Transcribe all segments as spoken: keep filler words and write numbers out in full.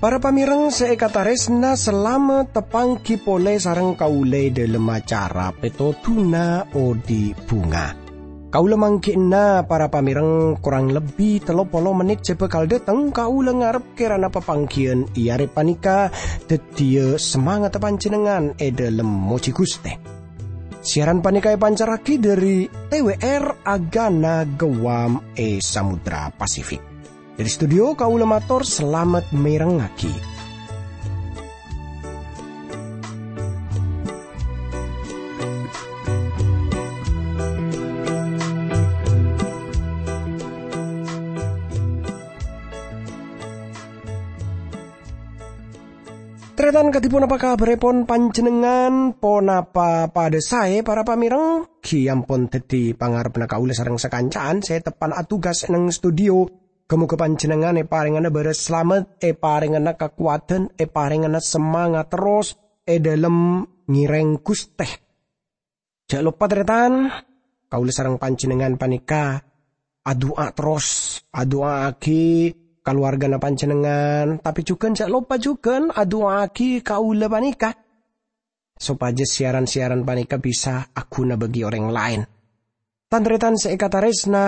Para pamèrèng sè èkatarèsna, salamet tapangghi polè sareng kaulâ è dhâlem acara Pètodhuna Odi' Bhunga. Kaulâ mangghi'na, para pamèrèng, korang lebbi tello polo mennit sè bhâkal dâteng, kaulâ ngarep kèrana papangghiyân è arè panèka dhâddhiyâ samangatta panjhennengngan è dhâlem mojhi Ghustè. Siaran panèka èpancarraghi dhâri T W R Agana Guam è Samudra Pasifik. Dhâri studio kaulâ mator salamet mèrengngaghi. Tarètan, kadhi ponapa kabhârèpon panjhennengngan? Ponapa padâ saè, para pamèrèng? Ghi ampon dhâddhi pangarebbhâ kaulâ sareng sakanca'an sè teppa'na atugas è nèng studio. Ghâ-mogâ panjhennengngan èparèngana bârâs salamet, èparèngana kakowadhân, èparèngana samangat terros è dhâlem ngèrèng Ghustè. Jhâ' loppa, tarètan, kaulâ sareng panjhennengngan panèka adu'a terros, adu'aaghi kalowarghâna panjhennengngan, tapè jhughân jhâ' loppa jhughân adu'aaghi kaulâ panèka, sopajâ siaran-siaran panèka bisa aghuna bagi orèng laèn. Tan-tarètan sè èkatarèsna,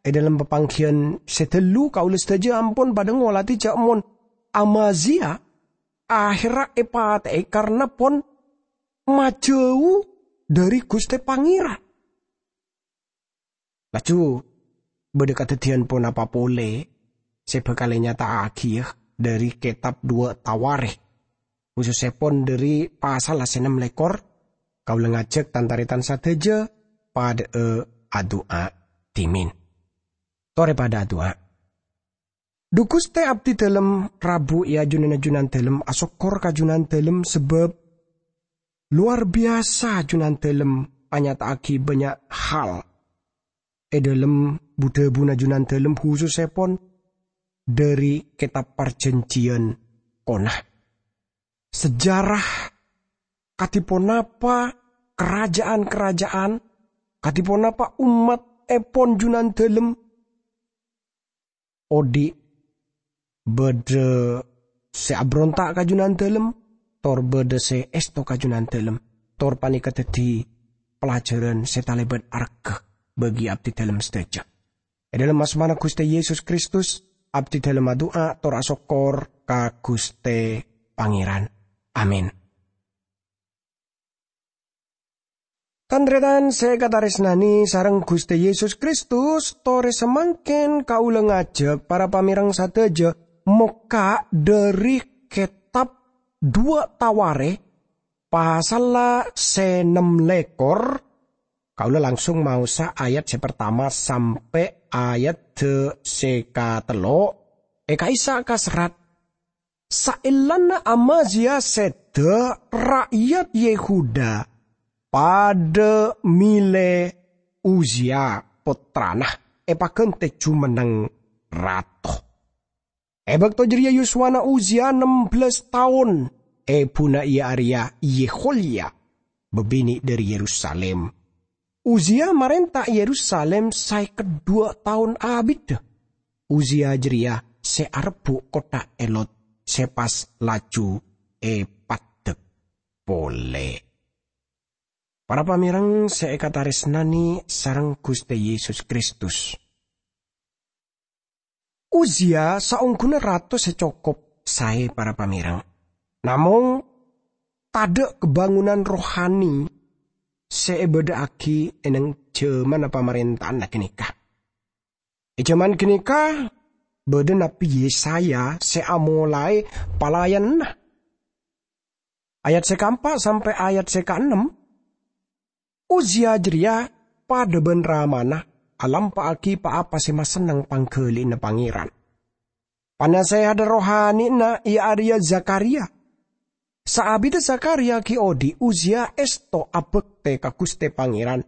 è dhâlem papangghiyân sè dâllu kaulâ sadhâjâ ampon padâ ngolatè jhâ' mon Amazia ahèrra èpatè'è karna pon majâu dhâri Ghustè Pangèran. Laju bâdâ kadhâddhiyân ponapa polè sè bhâkal ènyata'aghiyâ dhâri kètab Duwâ' Tawarèkh, khusussèpon dhâri pasalla sè nem lèkor. Kaulâ ngajhâk tan-tarètan sadhâjâ padâ'â adu'a dhimèn. Torè padâ adu'a. Dhu Ghustè, abdhi dhâlem rabu è ajunanna Junandhâlem asokkor ka Junandhâlem sabâb lowar biyasa Junandhâlem anyata'aghi bânnya' hal è dhâlem bu-dhâbuna Junandhâlem, khusussèpon dhâri Kètab Parjhânjhiyân Kona. Sejarah kadhi ponapa karaja'an-karaja'an, kadhi ponapa ommattèpon Junandhâlem odi' bâdâ sè abronta' ka Junandhâlem, tor bâdâ sè èsto ka Junandhâlem, tor panèka dhâddhi pelajaran sè talèbât arghâ bagi abdhi dhâlem sadhâjâ. È dhâlem asmana Ghustè Yesus Kristus, abdhi dhâlem adu'a tor asokkor ka Ghustè Pangèran. Amin. Tan-tarètan sè èkatarèsnanè sareng Ghustè Yesus Kristus, torè samangkèn kaulâ ngajhâk para pamèrèng sadhâjâ mokka' dhâri kètab Duwâ' Tawarèkh, pasalla sè nem lèkor. Kaulâ langsung maosa ayat sè partama sampè' ayat sè katello'. È ka'issa' kaserrat, "Saellana Amazia sèdhâ, ra'yat Yehuda padâ mèlè Uzia, pottrana, èpaghântè jumenneng rato." È bâkto jârèya yuswana Uzia nem bellâs taon, èbhuna iya arèya Yeholya, bâbinè' dhâri Yerusalim. Uzia marènta Yerusalim saèkèt dhuwâ' taon abiddhâ. Uzia jârèya sè arebbhu' kottha Elot sè pas laju èpaddhâk polè. Para pamèrèng sè èkatarèsnanè sareng Ghustè Yesus Kristus. Uzia saongghuna rato sè cokop saè, para pamèrèng. Namong, tadâ' kabângonan rohani sè èbâdâ'aghi è nèng jhâmanna pamarènta'anna ghânèka. È jhâman ghânèka, bâdâ Nabbhi Yesaya sè amolaè palayananna. Ayat sè kaempa' sampè' ayat sè kaennem, Uzia jârèya padâ bân ramana alampa'aghi pa-apa sè masenneng pangghâli'ânna Pangèran. Panasèhadhâ rohani'na iya arèya Zakharya. Saabiddhâ Zakharya ghi' odi', Uzia èsto abhâktè ka Ghustè Pangèran,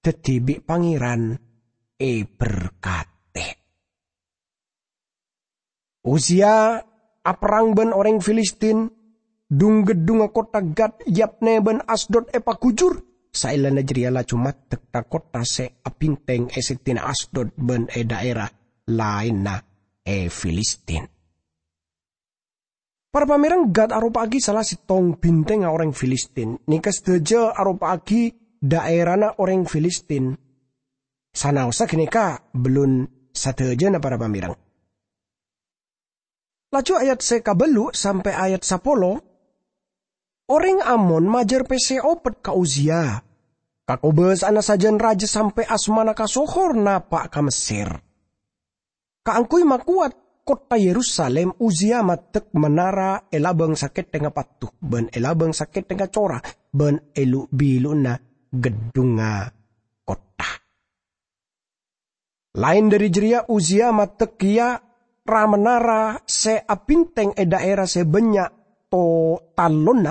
dhâddhi bi' Pangèran èberkadhi. Uzia aperrang bân orèng Filistin, dhung-geddhungnga kottha Gat, Yabne, ban Asdod epagujur. Saellana jareya laju maddek tha-kottha se abinteng e seddi'na Asdod ban e dhaera laenna e Filistin. Para pamereng, Gat aropa'agi sala settong bintengnga oreng Filistin. Neka sadaja aropa'agi dhaerana oreng Filistin. Sanaossa ganeka bellun sadajana, para pamereng. Laju ayat se kabellu' sampe' ayat sapolo, oreng Amon majar pesse opet ka Uzia. Kakobasa'anna sajan raja sampe' asmana kasohor napa' ka Messer. Kaangguy makowat kottha Yerusalim, Uzia maddek menara e labang sakethengnga patto, ban e labang sakethengnga cora, ban e lu-bilu'na geddhungnga kottha. Laen dhari jareya, Uzia maddek keya ra-menara se abinteng e dhaera se bannya' to-, tallonna,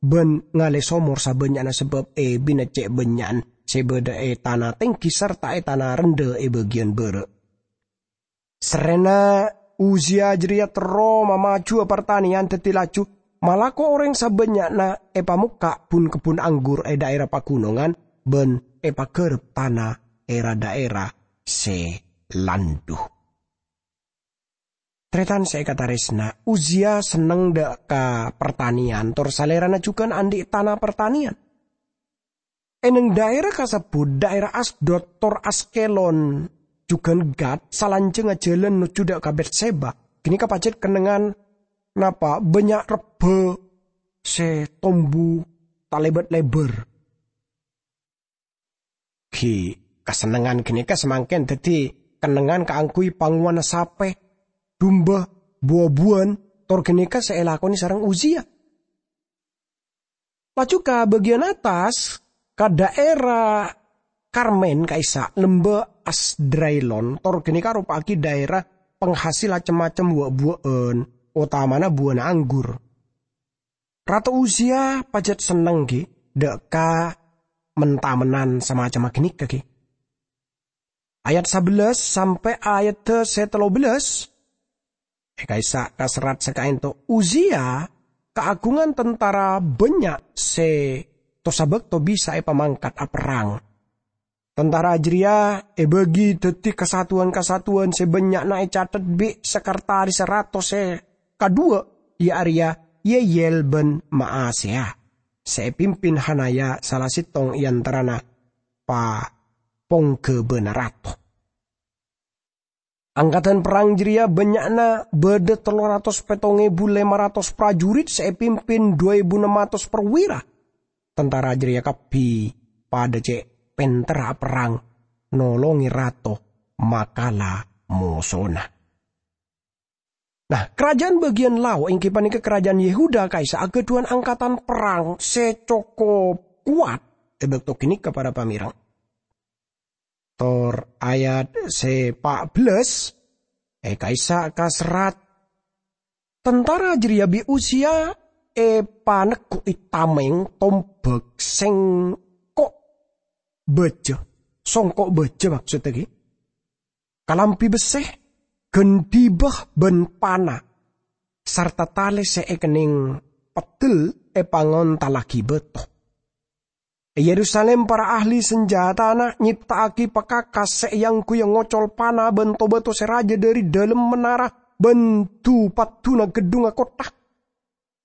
ban ngale somor sabannya'na sabab ebina ce' bannya'an se badha e tana tenggi sarta e tana rendha e bagiyan bara'. Serrena Uzia jareya terro mamajuwa partaneyan, daddi laju malako oreng sabannya'na epamokka' bun-kebbun anggur e dhaera pagunongan ban epagarep tana e ra-dhaera se landhu. Taretan se ekataresna, Uzia senneng dha' ka partaneyan, tor salerana jugan andhi' tana partaneyan. E neng dhaera kasebbut, dhaera Asdod tor Askelon, jugan Gat, salanjangnga jalan nojju dha' ka Betseba, ganeka pajat kennengngan napa bannya' rebba se tombu talebat lebar. Gi, kasennengngan ganeka samangken daddi kennengngan kaangguy pangowana sape, dumba, bu-abuwan, tor ganeka se elakone sareng Uzia. Laju ka bagiyan attas, ka dhaera Karmen ka'issa' Lembah Asdraelon, tor ganeka aropa'agi dhaera panghasil cem-macem wa'-buwa'an, otamana buwana anggur. Rato Uzia pajat senneng, gi, dha' ka men-tamenan samacemma ganeka, gi. Ayat sabellâs sampe' ayadda se tello bellâs, e ka'issa' kaserrat sakaento, Uzia kaagungan tantara bannya' se to-sabakto bisa epamangkat aperrang. Tantara jareya ebagi daddi kasatowan-kasatowan se bannya'na ecathet bi' sekretaris rato se kadhuwa, iya areya Yeyel ban Maaseya, se epimpin Hanaya, sala settong e antarana pa-, pongghabana rato. Angkadan perrang jareya bannya'na badha tello ratos pettong ebu lema ratos prajurit se epimpin dhu ebu nem atos perwira. Tantara jareya kabbi padha ce' penterra aperrang, nolonge rato makala mosona. Nah, karaja'an bagiyan lao', enggi paneka karaja'an Yehuda, ka'issa' agadhuwan angkatan perrang se cokop kowat e bakto ganeka, para pamereng. Tor ayat se pa' bellâs, e ka'issa' kaserrat, tantara jareya bi' Uzia epaneggu'i tameng tombak sengko' baja, songko' baja maksodda, gi, kalambi besse, gandiba ban pana, sarta tale se ekenneng peddel epangontallagi bato. E Yerusalim, para ahli sanjatana nyepta'agi pakakas se eangguya ngocol pana ban to-bato se raja dhari dhalem menara ban dhu-paddhuna geddhungnga kottha.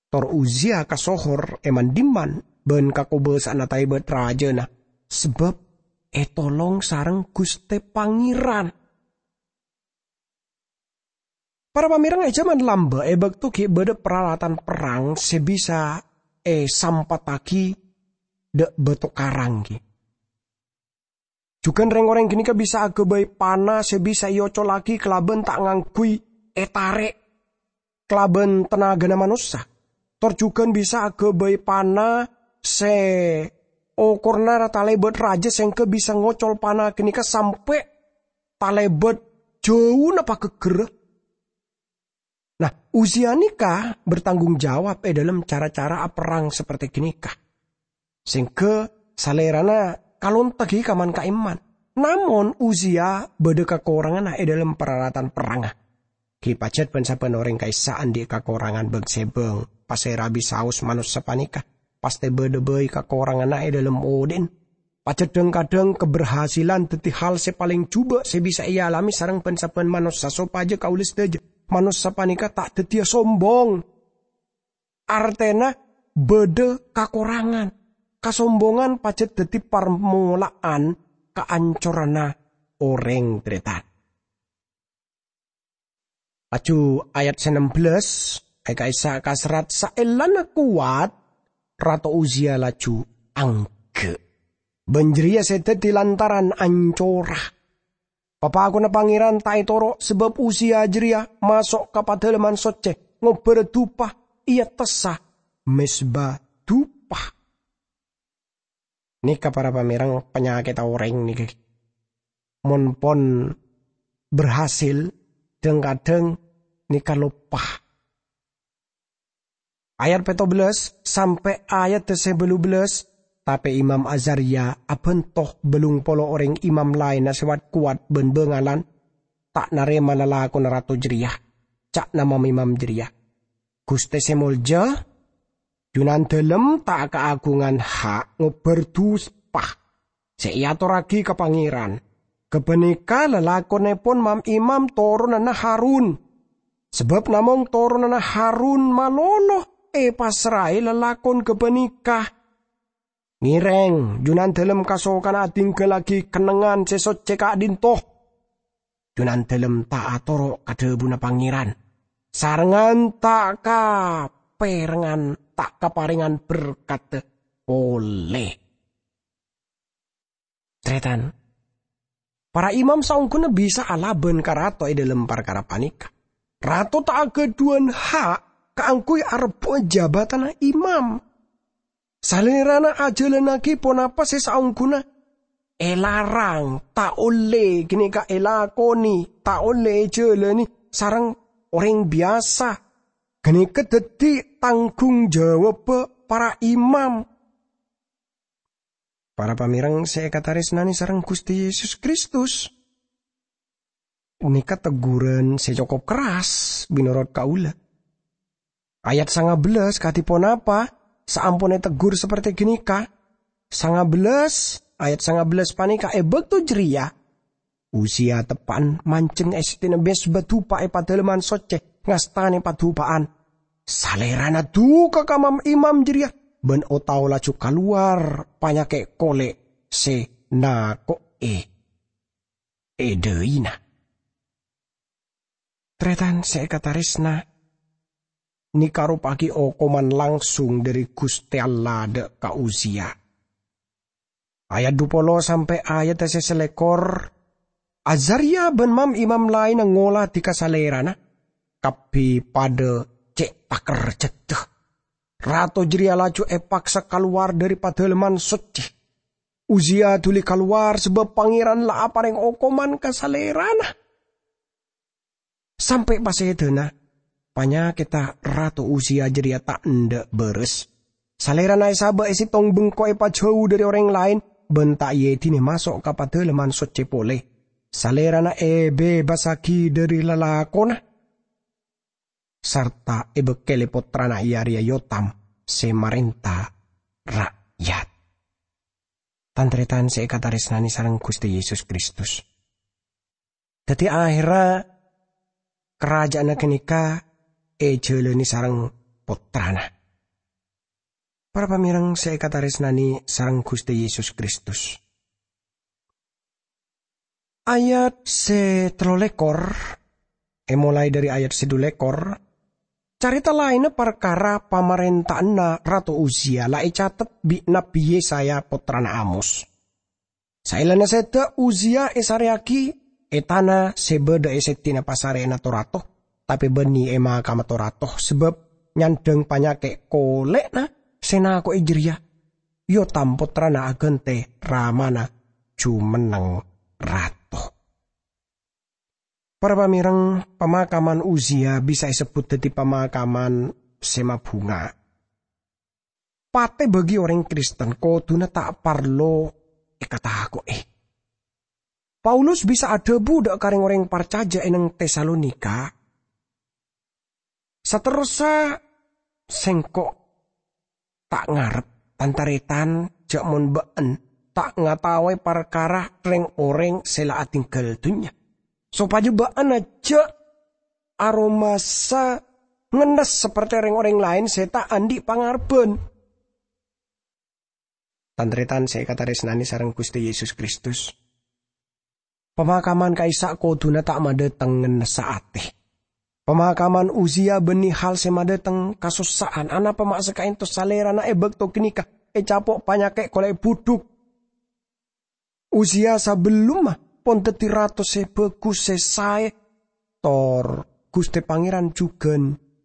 Tor Uzia kasohor e man-dhimman ban kakobasa'anna tarebat rajana, sabab etolong sareng Guste Pangeran. Para pamereng, e jaman lamba', e bakto gi' badha paralatan perrang se bisa esampattagi dha' bato karang, gi. Jugan reng-oreng ganeka bisa agabay pana se bisa eocollagi kalaban ta' ngangguy etare' kalaban tanagana manossa. Tor jugan bisa agabay pana se okorna ra-, talebat raja, sengga bisa ngocol pana ganeka sampe' talebat jauna pageggerra. Nah, Uzia neka bertanggung jawab e dhalem cara-cara aperrang saperte ganeka. Sengga salerana kalonta gi kaman-kaemman. Namon Uzia badha kakoranganna e dhalem paralatan perrangnga. Gi pajat ban-saban oreng ka'issa' andhi' kakorangan bang-sebang pasèra bisaos manossa panèka, pastè bâdâ bhâi kakoranganna è dhâlem odi'na. Pajhât dhâng-kadhâng kaberhasilan dhâddhi hal sè palèng jhubâ' sè bisa èalamè sareng bân-sabbhân manossa sopajâ kaulâ sadhâjâ manossa panèka ta' dhâddhiyâ sombong. Artèna bâdâ kakorangan. Kasombongan pajhât dhâddhi parmola'an kaancoranna orèng, tarètan. Laju ayat sè nem bellâs, è ka'issa' kaserrat, "Saellana kowat, Rato Uzia laju angghâ'. Bân jârèya sè dhâddhi lantaran ancora. Papakonna Pangèran ta' ètoro', sabâb Uzia jârèya maso' ka Padâlemman Soccè ngobâr dupa, èattessa mezba dupa." Nèka, para pamèreng, panyakèdhâ orèng nèka. Mon pon berhasil, dhâng-kadhâng nèka loppa. Ayat pètto bellâs sampè' ayat sè bâllu bellâs, tapè Imam Azaria abhânto bâllung polo orèng imam laènna sè wat-kowat bân bângalan, ta' narèma lalakonna rato jârèya. Ca'na mam-imam jârèya, "Ghustè sè molja, Junandâlem ta' kaaghungan ha' ngobâr dupa sè èatorraghi ka Pangèran. Ghâpanèka lalakonnèpon mam-imam toronanna Harun. Sabâb namong toronanna Harun malolo èpassraè lalakon ghâpanèka. Ngèrèng, Junandâlem kasokana adhinggâllaghi kennengngan sè soccè ka'dhinto. Junandâlem ta' atoro' ka dhâbuna Pangèran, sarengngan ta' kapèrengngan, ta' kaparèngan berkat polè." Tarètan, para imam saongghuna bisa alabân ka rato è dhâlem parkara panèka. Rato ta' aghâdhuwân ha' kaangghuy arebbu'â jabâtanna imam. Salèrana ajhâlânnaghi ponapa sè saongghuna èlarang, ta' ollè ghânèka èlakonè, ta' ollè èjhâlâni sareng orèng biyasa. Ghânèka dhâddhi tangghung jawabbhâ para imam. Para pamèreng sè èkatarèsnanè sareng Ghustè Yesus Kristus, nèka tegghuran sè cokop kerras mènorot kaulâ. Ayat sanga bellâs kadhi ponapa saampon ètegghuр saperte ghânèka? Sanga bellâs, ayat sanga bellâs panèka, "È bâkto jârèya Uzia teppa'na manjheng è seddi'na mezba dupa è Padâlemman Soccè, ngastanè padupa'an. Salèrana duka ka mam-imam jârèya, bân o-tao laju kalowar panyakè' kolè' sè nako'è è dhâina." Tarètan sè èkatarèsna, nèka aropa'aghi okoman langsung dhâri Ghustè Allah dâ' ka Uzia. Ayat dupolo sampè' ayat sè salèkor, Azaria bân mam-imam laènna ngoladhi ka salèrana, kabbhi padâ cè' takerjhâddhâ. Rato jârèya laju èpaksa kalowar dhâri Padâlemman Soccè. Uzia dhuli kalowar sabâb Pangèran la aparèng okoman ka salèrana. Sampè' pasèdâna, panyakèdhâ Rato Uzia jârèya ta' endâ' bârâs. Salèrana èsabâ' è sèttong bengko èpajhâu dhâri orèng laèn, bân ta' èèdinè maso' ka Padâlemman Soccè polè. Salèrana èbebasaghi dhâri lalakonna, sarta èbâkkèlè pottrana è arèya Yotam sè marènta ra'yat. Tan-tarètan sè èkatarèsnanè sareng Ghustè Yesus Kristus. Dhâddhi, ahèrra karaja'anna ghânèka èjhâlâni sareng pottrana. Para pamèreng sè èkatarèsnanè sareng Ghustè Yesus Kristus. Ayat sè tello lèkor, èmolaè dhâri ayat sè du lèkor, carèta laènna parkara pamarènta'anna Rato Uzia la ècatet bi' Nabbhi Yesaya pottrana Amos. Saellana sèdhâ Uzia èsarèyaghi è tana sè bâdâ è seddi'na pasarèyanna to-rato, tapè bânnè è makamma to-rato sabâb nyandhâng panyakè' kolè'na sè nako'è jârèya. Yotam pottrana aghântè ramana jumenneng rato. Para pamèreng, pamakaman Uzia bisa èsebbhut dhâddhi pamakaman sè mabhunga. Patè bagi orèng Kristen kodhuna ta' parlo èkatako'è. Paulus bisa adhâbu dâ' ka rèng-orèng parcajâ è neng Tesalonika, "Saterrossa Sèngko' ta' ngarep, tan-tarètan, jhâ' mon bâ'ân ta' ngataowè parkara rèng-orèng sè la atèngghâl dhunnya, sopajâ bâ'ân jhâ' aromasa ngennes saperti rèng-orèng laèn sè ta' andi' pangarebbhân. Tan-tarètan sè èkatarèsnanè sareng Ghustè Yesus Kristus, pamakaman ka'issa' kodhuna ta' madhâteng ngennessa atè. Pamakaman Uzia bânnè hal sè madhâteng kasossa'an. Anapa ma' sakaènto salèrana è bâkto ghânèka ècapo' panyakè' kolè' budhuk? Uzia sabellunna pon dhâddhi rato sè bhâghus, sè saè, tor Ghustè Pangèran jhughân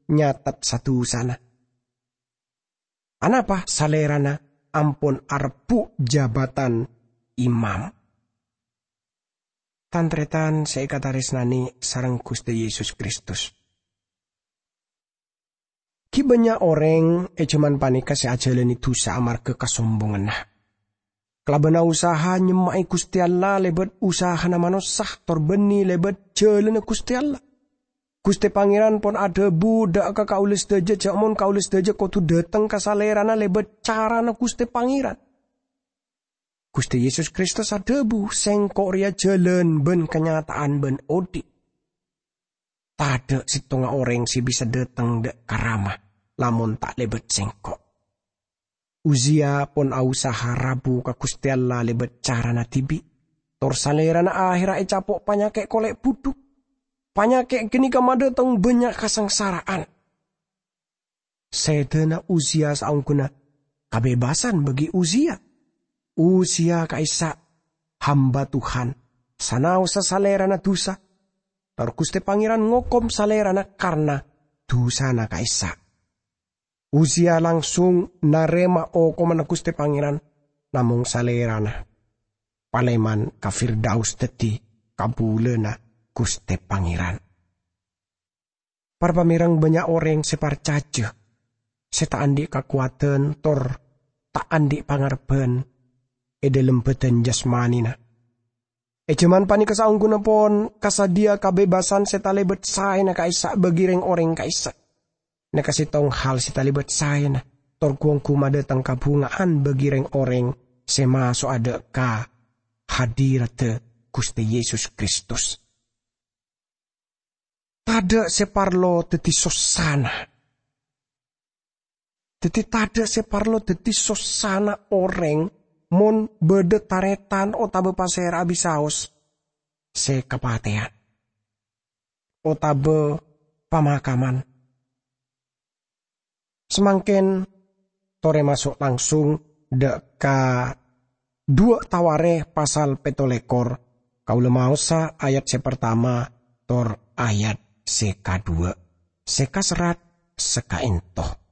nyatet sa-dusana. Anapa salèrana ampon arebbhu' jabatan imam? Tan-tarètan sè èkatarèsnanè sareng Ghustè Yesus Kristus, ghi' bânnya' orèng è jhâman panèka sè ajhâlânè dhusa amarghâ kasombonganna. Kalabân usaha nyemma'è Ghustè Allah lèbât usahana manossa, tor bânnè lèbât jhâlânna Ghustè Allah. Ghustè Pangèran pon adhâbu dâ' ka kaulâ sadhâjâ jhâ' mon kaulâ sadhâjâ kodhu dhâteng ka Salèrana lèbât carana Ghustè Pangèran. Ghustè Yesus Kristus adhâbu, "Sèngko' rèya jhâlân bân kanyata'an bân odi'. Tadâ' sèttonga orèng sè bisa dhâteng dâ' ka Rama lamon ta' lèbât Sèngko'." Uzia pon ausaha rabu ka Ghustè Allah lèbât carana dhibi', tor salèrana ahèrra ècapo' panyakè' kolè' budhuk. Panyakè' ghânèka madhâteng bânnya' kasangsara'an. Sèdhâna Uzia saongghuna kabebassan bagi Uzia. Uzia ka'issa' hamba Tuhan, sanaossa salèrana dhusa, tor Ghustè Pangèran ngokom salèrana karna dhusana ka'issa'. Uzia langsung narèma okomanna Ghustè Pangèran, namong salèrana palèman ka Firdaus dhâddhi kabulâna Ghustè Pangèran. Par-pamèreng bânnya' orèng sè parcajâ, sè ta' andi' kakowadhân tor ta' andi' pangarebbhân è dhâlem bhâdhân jasmanina. È jhâman panèka saongghuna pon kasadhiyâ kabebassan sè talèbât saèna ka'issa' bagi rèng-orèng ka'issa'. Nèka sèttong hal sè talèbât saèna, tor ghu-ongghu madhâteng kabhunga'an bagi rèng-orèng sè maso'a dâ' ka hadiradda Ghustè Yesus Kristus. Tadâ' sè parlo dhâddhi sossana. Dhâddhi, tadâ' sè parlo dhâddhi sossana orèng mon bâdâ tarètan otabâ pasèra'a bisaos sè kapatèyan otabâ pamakaman. Samangkèn torè maso' langsung dâ' ka duwâ' Tawarèkh pasal pètto lèkor. Kaulâ maosa ayat sè partama tor ayat sè kaduwâ', sè kaserrat sakaènto.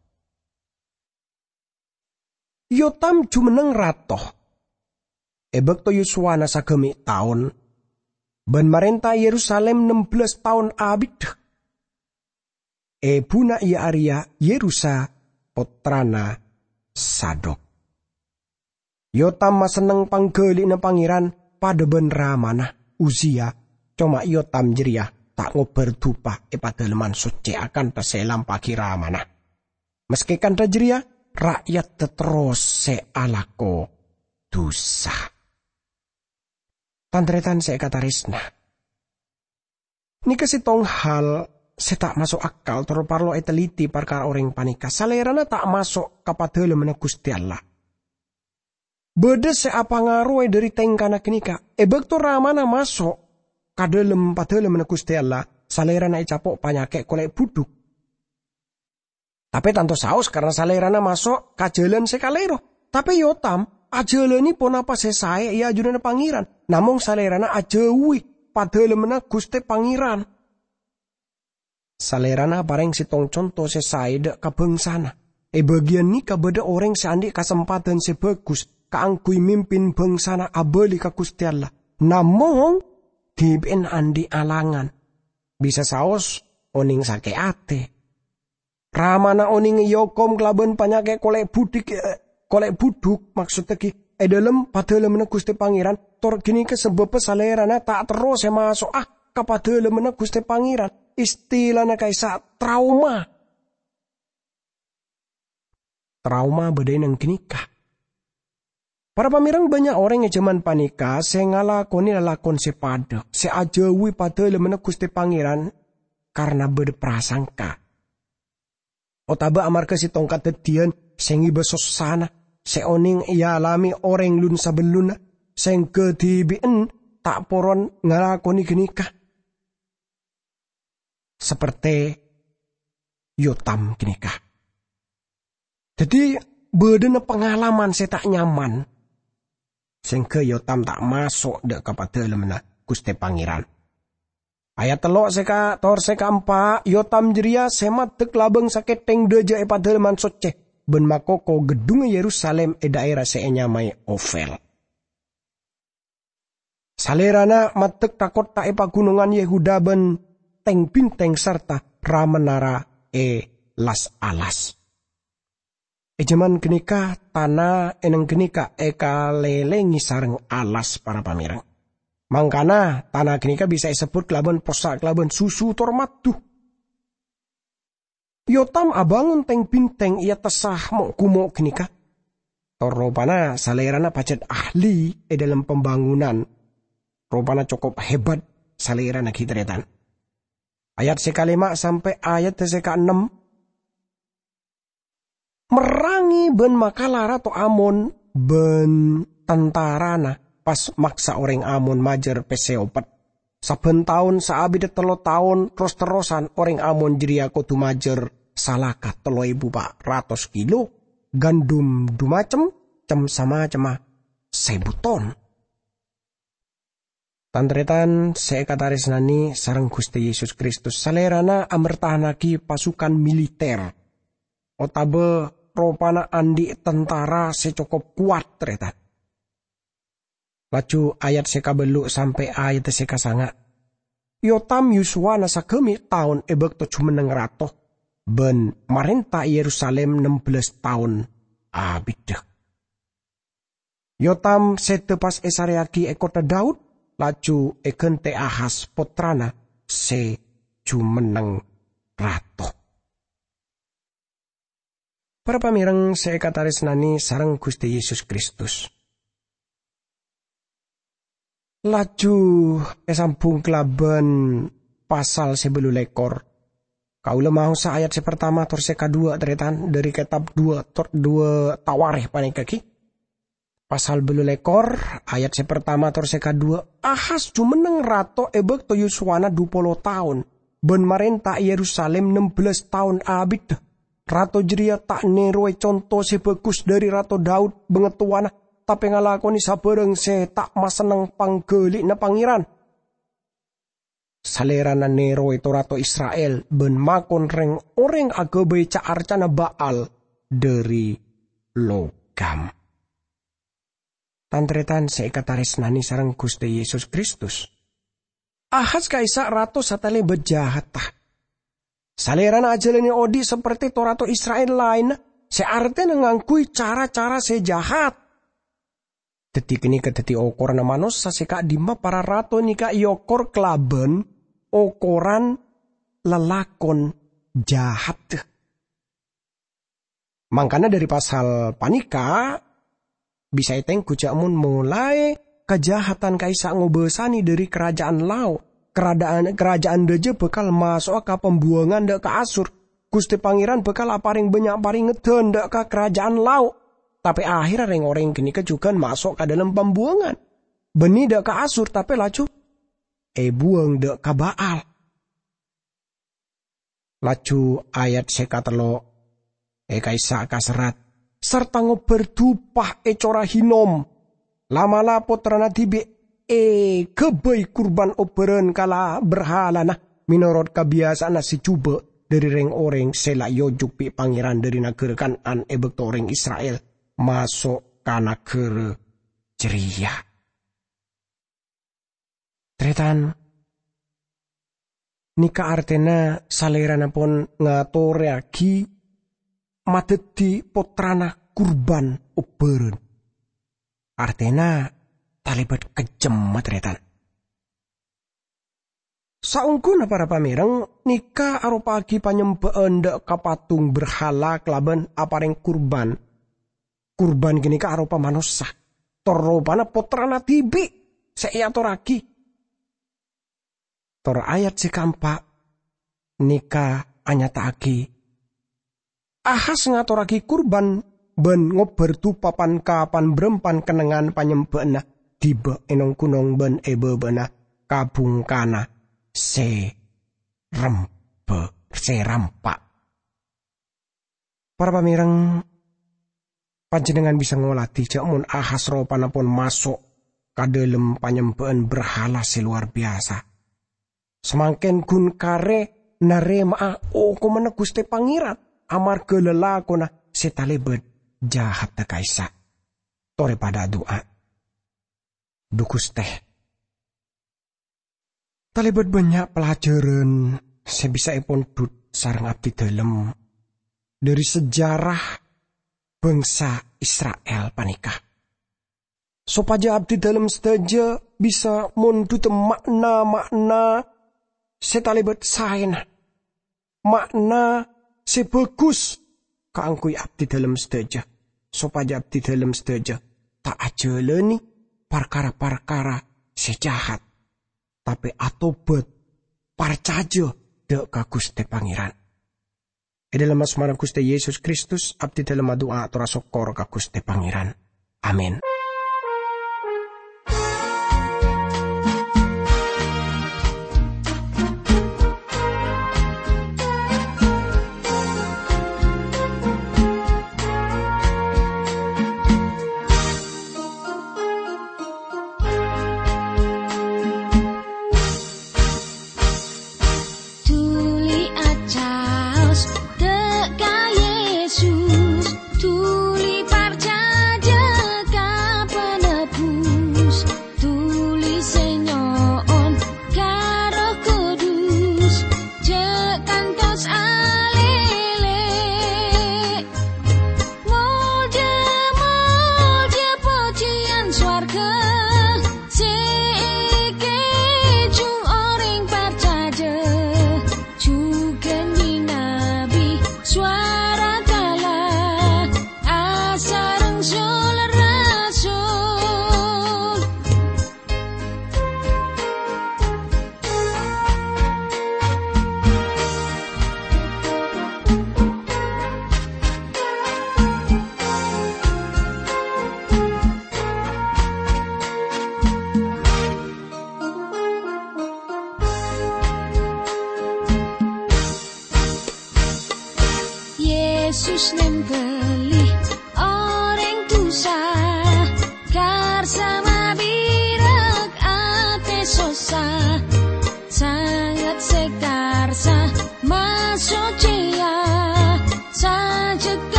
Yotam jumenneng rato. È bâkto yuswana sagâmè' taon, bân marènta è Yerusalim nem bellâs taon abiddhâ. Èbhuna iyâ arèya Yerusa, pottrana Sadok. Yotam masenneng pangghâli'na Pangèran padâ bân ramana, Uzia, coma Yotam jârèya ta' ngobâr dupa è Padâlemman Soccè akanta sè èlampa'aghi ramana. Maskè kantha jârèya, ra'yadda terros sè alako dusa. Tan-tarètan sè èkatarèsna, nèka sèttong hal sè ta' maso' akal tor parlo ètelliti parkara orèng panèka. Salèrana ta' maso' ka Padâlemmanna Ghustè Allah. Bâdâ sè apangaroè dhâri tèngkana ghânèka. È bâkto ramana maso' ka dhâlem Padâlemmanna Ghustè Allah, salèrana ècapo' panyakè' kolè' budhuk. Tapè tanto saos karna salèrana maso' ka jhâlân sè kalèro. Tapè Yotam ajhâlâni ponapa sè saè è ajunanna Pangèran, namong salèrana ajhâuwi Padâlemmanna Ghustè Pangèran. Salèrana aparèng sèttong conto sè saè dâ' ka bhângsana. È bâgiyân nèka bâdâ orèng sè andi' kasempadhân sè bhâghus kaangghuy mimpin bhângsana abâli ka Ghustè Allah. Namong, dhibi'na andi' alangan. Bisa saos onèng sakè' atè. Ramana onèng èokom kalabân panyakè' kolè' budhik, eh, kolè' budhuk, maksodda ghi è dhâlem Padâlemmanna Ghustè Pangèran, tor ghânèka sabâbbhâ salèrana ta' terro sè maso'a ka Padâlemmanna Ghustè Pangèran. Istilana ka'issa' trauma. traoma bâdâ è neng ghânèka. Para pamèrèng, bânnya' orèng è jhâman panèka sè ngalakonè lalakon sè padâ, sè ajhâuwi Padalemmanna Ghustè Pangèran karana bâdâ prasangka, otabâ amarghâ sèttong kadhâddhiyân sè ngèbâ sossana sè onèng èalamè orèng lun-sabellunna, sèngghâ dhibi'en ta' poron ngalakonè ghânèka, sapertè Yotam ghânèka. Dhâddhi, bâdâna pangalaman sè ta' nyaman, sèngghâ Yotam ta' maso' dâ' ka Padalemmanna Ghustè Pangèran. Ayat tello' sè ka-, tor sè kaempa', Yotam jârèya sè maddhek labâng sakèthèng dâjâ è Padalemman Soccè bân makoko ghedhungnga Yerusalim è dhaèra sè ènyamaè Ofel. Salèrana maddhek ka kottha è paghunongan Yehuda bân tèng-bintèng sarta ra-menara è las-alas. È jhâman ghânèka, tana è neng ghânèka èkalèlèngè sareng alas, para pamèrèng. Mangkana, tana ghânèka bisa èsebbhut kalabân possa' kalabân susu tor maddu. Yotam abângon tèng-bintèng è attassa mo'-gumo' ghânèka. Tor ropana salèrana pajhât ahli è dhâlem pambângonan. Ropana cokop hebat salèrana ghi, tarètan. Ayat sè kalèma' sampè' ayat sè kaennem. Merrangè bân makala Rato Amon bân tantarana, pas maksa orèng Amon majâr pèssè opet. Sabbhân taon saabiddhâ tello taon ros-terrosan, orèng Amon jârèya kodhu majâr salaka tello èbu pa' ratos kilo, gandum dhu macem, cem-samacemma sèbu ton. Tan-tarètan sè èkatarèsnanè sareng Ghustè Yesus Kristus, Salèrana amertahannaghi pasukan militer, otabâ ropana andi' tantara sè cokop kowat, tarètan. Laju ayat sè kabâllu' sampè' ayat sè kasanga'. Yotam yusowana sagâmè' taon è bâkto jumenneng rato, bân marènta è Yerusalim nem bellâs taon abiddhâ. Yotam sèdhâ pas èsarèyaghi è kottha Daud, laju èghântè Ahas pottrana sè jumenneng rato. Para pamèrèng sè èkatarèsnanè sareng Ghustè Yesus Kristus. Laju èsambhung kalabân pasal sè bâllu lèkor. Kaulâ maosa ayat sè partama tor sè kadhuwâ', tarètan, dhâri kètab dhuwâ' tor-, dhuwâ' Tawarikh panèka ghi. Pasal bâllu lèkor, ayat sè partama tor sè kadhuwâ', Ahas jumenneng rato è bâkto yusowana dhu polo taon, bân marènta è Yerusalim nem bellâs taon abiddhâ. Rato jârèya ta' nèrowè conto sè bhâghus dhâri Rato Daud bângatowana, tapè ngalakonè sabhârâng sè ta' masenneng pangghâli'na Pangèran. Salèrana nèrowè to-rato Isra'il bân makon rèng-orèng aghâbây ca-arcana Ba'al dhâri logam. Tan-tarètan sè èkatarèsnanè sareng Ghustè Yesus Kristus, Ahas ka'issa' rato satalèbât jahatta. Salèrana ajhâlanè odi' sapertè to-rato Isra'il laènna, sè artèna ngangghuy cara-cara sè jahat. Dhâddhi, ghânèka dhâddhi okoranna manossa sè ka'dimma para rato nèka èokor kalabân okoran lalakon jahat. Mangkana dhâri pasal panèka bisa ètengghu jhâ' mon molaè kajahadan ka'issa' ngobâsanè dhâri karaja'an lao', karada'an-, karaja'an rajâ bhâkal maso'a ka pambuwângan dâ' ka Asur. Ghustè Pangèran bhâkal aparèng bânnya' parèngeddhân dâ' ka karaja'an lao'. Tapè ahèrra rèng-orèng ghânèka jhughân maso' ka dhâlem pambuwângan. Bânnè dâ' ka Asur, tapè laju èbuwâng dâ' ka Ba'al. Laju ayat sè katello', è ka'issa' kaserrat, "Sarta ngobbhâr dupa è cora Hinom. La'-mala' pottrana dhibi' èghâbây kurban obbhârân ka la-, berhalana, mènorot kabiyasa'anna sè jhubâ' dhâri rèng-orèng sè la èojuk bi' Pangèran dhâri naghârâ Kan'an è bâkto orèng Isra'il maso' ka naghârâ jârèya." Tarètan, nèka artèna Salèrana pon ngatorèyaghi madhâddhi pottrana kurban obbhârân. Artèna talèbât kejjemma, tarètan. Saongguna para pamèrèng, nèka aropa'aghi panyembhâ'ân dâ' ka patung berhala kalabân aparèng kurban. Kurban ghânèka aropa manossa, tor ropana Pottrana dhibi' sè èatorraghi. Tor ayat sè kaempa' nèka anyata'aghi, Ahas ngatorraghi kurban bân ngobbhâr dupa pan-kapan bârâmpan kennengngan panyembhâ'ânna ghibâ è nong-ghunong bân è bâbâna kabhungkana sè rembhâ-, sè rampa'. Para pamèrèng, panjhennengngan bisa ngolatè jhâ' mon Ahas ropana pon maso' ka dhâlem panyembhâ'ân berhala sè lowar biyasa. Samangkèn ghun karè narèma'a okomanna Ghustè Pangèran amarghâ lalakonna sè talèbât jahaddhâ ka'issa'. Torè padhâ adu'a. Dhu Ghustè, talèbât bânnya' pelajaran sè bisa èpondhut sareng abdidhâlem dhâri sejarah bangsa Isra'il panèka, sopajâ abdidhâlem sadhâjâ bisa mondhuta ma'na-ma'na sè talèbât saèna, ma'na sè bhâghus kaangghuy abdidhâlem sadhâjâ, sopajâ abdidhâlem sadhâjâ ta' ajhâlânè parkara-parkara sè jahat, tapè atobhât, parcajâ dâ' ka Ghustè Pangèran. È dhâlem asmana Ghustè Yesus Kristus, abdidhâlem adu'a atorra sokkor ka Ghustè Pangèran. Amin. Dhuli acaos dâ' ka Yesus, dhuli parcajâ ka Penebus, dhuli sè nyo'on ka Erroh Kudus, jhâ' kantos alèlè. Molja, molja, pojhiyân sowarghâ sè èkèjhung orèng parcajâ, jhughân bi-nabi sowara kala asareng sol-rasul. Yesus nèmbhâl